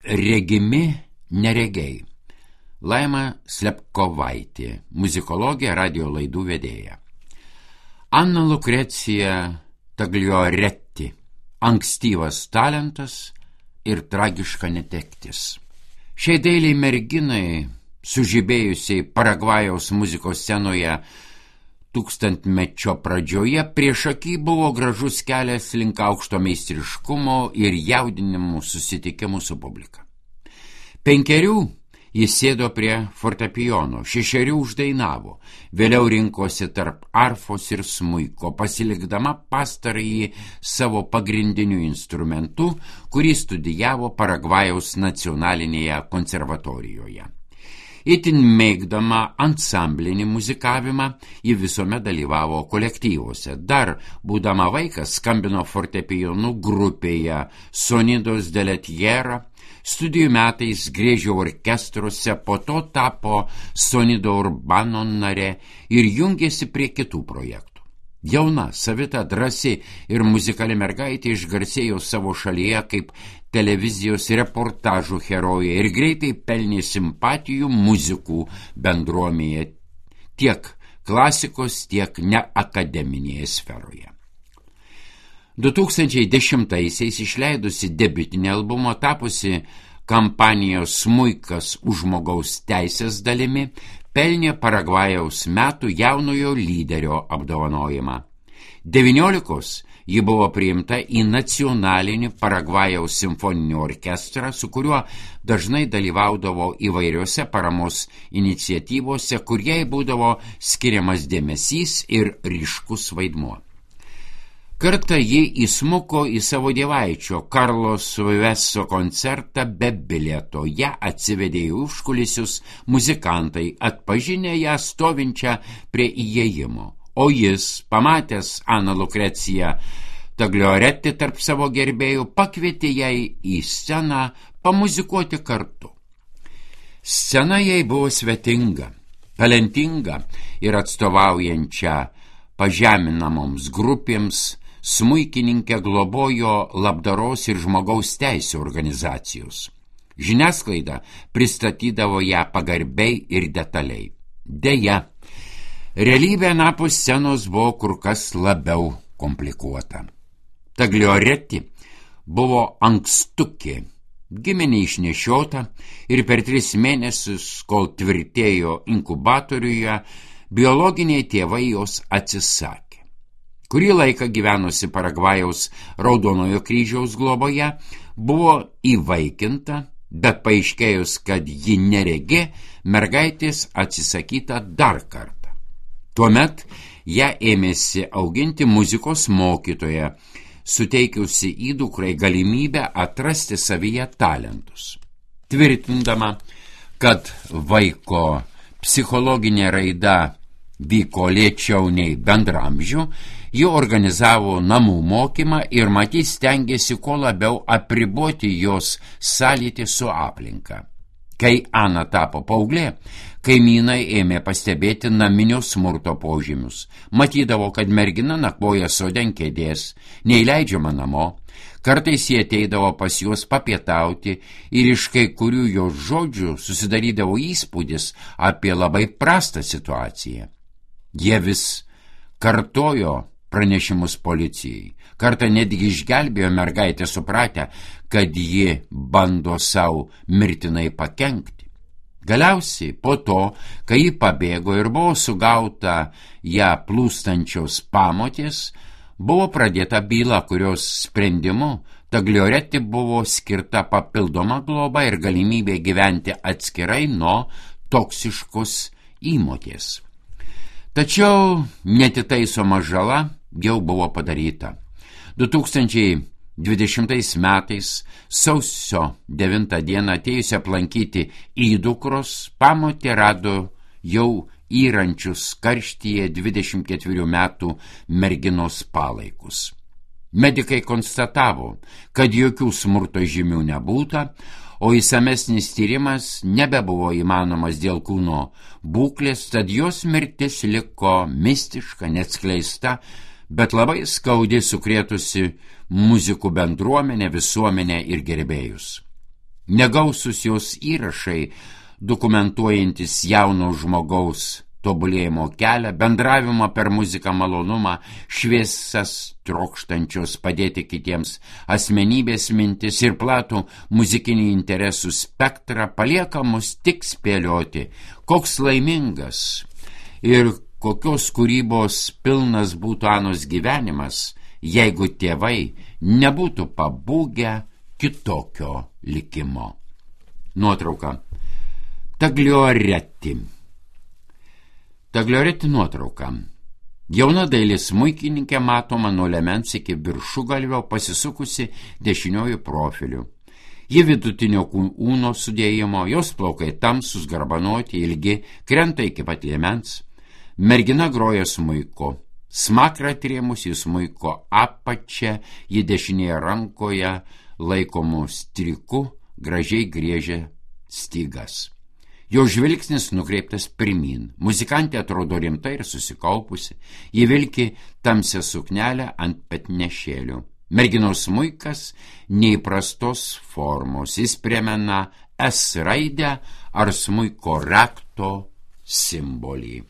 Regimi neregiai. Laima Slepkovaitė, muzikologė, radio laidų vedėja. Anna Lukrecija Taglioretti, ankstyvas talentas ir tragiška netektis. Šiai dailiai merginai, sužibėjusiai Paragvajaus muzikos scenoje tūkstantmečio pradžioje, priešaky buvo gražus kelias link aukšto meistriškumo ir jaudinimų susitikimų su publika. 5 jis sėdo prie fortepijono, 6 uždainavo, vėliau rinkosi tarp arfos ir smuiko, pasilikdama pastarąjį savo pagrindiniu instrumentu, kurį studijavo Paragvajaus nacionalinėje konservatorijoje. Itin mėgdama ansamblinį muzikavimą, ji visuomet dalyvavo kolektyvuose. Dar, būdama vaikas, skambino fortepijonu grupėje Sonidos de la Tierra, studijų metais griežė orkestruose, po to tapo Sonido Urbano nare ir jungėsi prie kitų projektų. Jauna, savita, drąsi ir muzikali mergaitė išgarsėjo savo šalyje kaip televizijos reportažų herojė ir greitai pelnė simpatijų muzikų bendruomenėje tiek klasikos, tiek neakademinėje sferoje. 2010-aisiais išleidusi debiutinį albumą, tapusi kampanijos Smuikas už žmogaus teisės dalimi, pelnė Paragvajaus metų jaunojo lyderio apdovanojimą. 19 ji buvo priimta į nacionalinį Paragvajaus simfoninį orkestrą, su kuriuo dažnai dalyvaudavo įvairiose paramos iniciatyvose, kur jai būdavo skiriamas dėmesys ir ryškus vaidmuo. Kartą ji įsmuko į savo dievaičio Karlos Veso koncertą be bilieto. Ja atsivedė į užkulisius muzikantai, atpažinę ją stovinčią prie įėjimo. O jis, pamatęs Aną Lukreciją Taglioretti tarp savo gerbėjų, pakvietė jai į sceną pamuzikuoti kartu. Scena jai buvo svetinga, talentinga ir atstovaujančia pažeminamoms grupėms, smuikininkė globojo labdaros ir žmogaus teisių organizacijos. Žiniasklaida pristatydavo ją pagarbiai ir detaliai. Deja, realybė anapus scenos buvo kur kas labiau komplikuota. Taglioretti buvo ankstukė, gimė neišnešiota ir per 3 mėnesius, kol tvirtėjo inkubatoriuje, biologiniai tėvai jos atsisakė. Kurį laiką gyvenusi Paragvajaus Raudonojo kryžiaus globoje, buvo įvaikinta, bet paaiškėjus, kad ji neregė, mergaitės atsisakyta dar kartą. Tuomet ją ėmėsi auginti muzikos mokytoja, suteikiusi įdukrai galimybę atrasti savyje talentus. Tvirtindama, kad vaiko psichologinė raida vyko lėčiau nei bendramžių, ji organizavo namų mokymą ir matyt stengėsi kuo labiau apriboti jos sąlytį su aplinka. Kai Ana tapo paauglė, kaimynai ėmė pastebėti naminio smurto požymius. Matydavo, kad mergina nakvoja sode ant kėdės, neįleidžiama namo. Kartais jie ateidavo pas juos papietauti ir iš kai kurių jos žodžių susidarydavo įspūdis apie labai prastą situaciją. Jie vis kartojo pranešimus policijai. Kartą netgi išgelbėjo mergaitę, supratę, kad ji bando savo mirtinai pakenkti. Galiausiai, po to, kai ji pabėgo ir buvo sugauta ją plūstančios pamotės, buvo pradėta byla, kurios sprendimu Taglioretti buvo skirta papildoma globa ir galimybė gyventi atskirai nuo toksiškos įmotės. Tačiau netitaisoma žala jau buvo padaryta. 2020 metais sausio 9 dieną atėjusi aplankyti įdukros, pamotė rado jau įrančius karštyje 24 metų merginos palaikus. Medikai konstatavo, kad jokių smurto žymių nebūta, o įsamesnis tyrimas nebebuvo įmanomas dėl kūno būklės, tad jos mirtis liko mistiška, neatskleista, bet labai skaudžiai sukrėtusi muzikų bendruomenę, visuomenę ir gerbėjus. Negausus jos įrašai, dokumentuojantis jauno žmogaus tobulėjimo kelią, bendravimą per muziką malonumą, šviesas trokštančios padėti kitiems asmenybės mintis ir platų muzikinį interesų spektrą palieka mus tik spėlioti, koks laimingas ir kokios kūrybos pilnas būtų Anos gyvenimas, jeigu tėvai nebūtų pabūgę kitokio likimo. Nuotrauka. Taglioreti nuotrauka. Jauna dailės smuikininkė matoma nuo liemens iki viršugalvio pasisukusi dešiniuoju profiliu. Ji vidutinio kūno sudėjimo, jos plaukai tamsus, garbanoti, ilgi, krenta iki pat liemens. Mergina groja smuiku. Smakrą atrėmusi smuiko apačią, ji dešinėje rankoje laikomų striku gražiai griežia stygas. Jo žvilgsnis nukreiptas pirmyn. Muzikantė atrodo rimtai ir susikaupusi. Ji vilki tamsią suknelę ant petnešėlių. Merginos smuikas neįprastos formos. Jis primena S raidę ar smuiko rakto simbolį.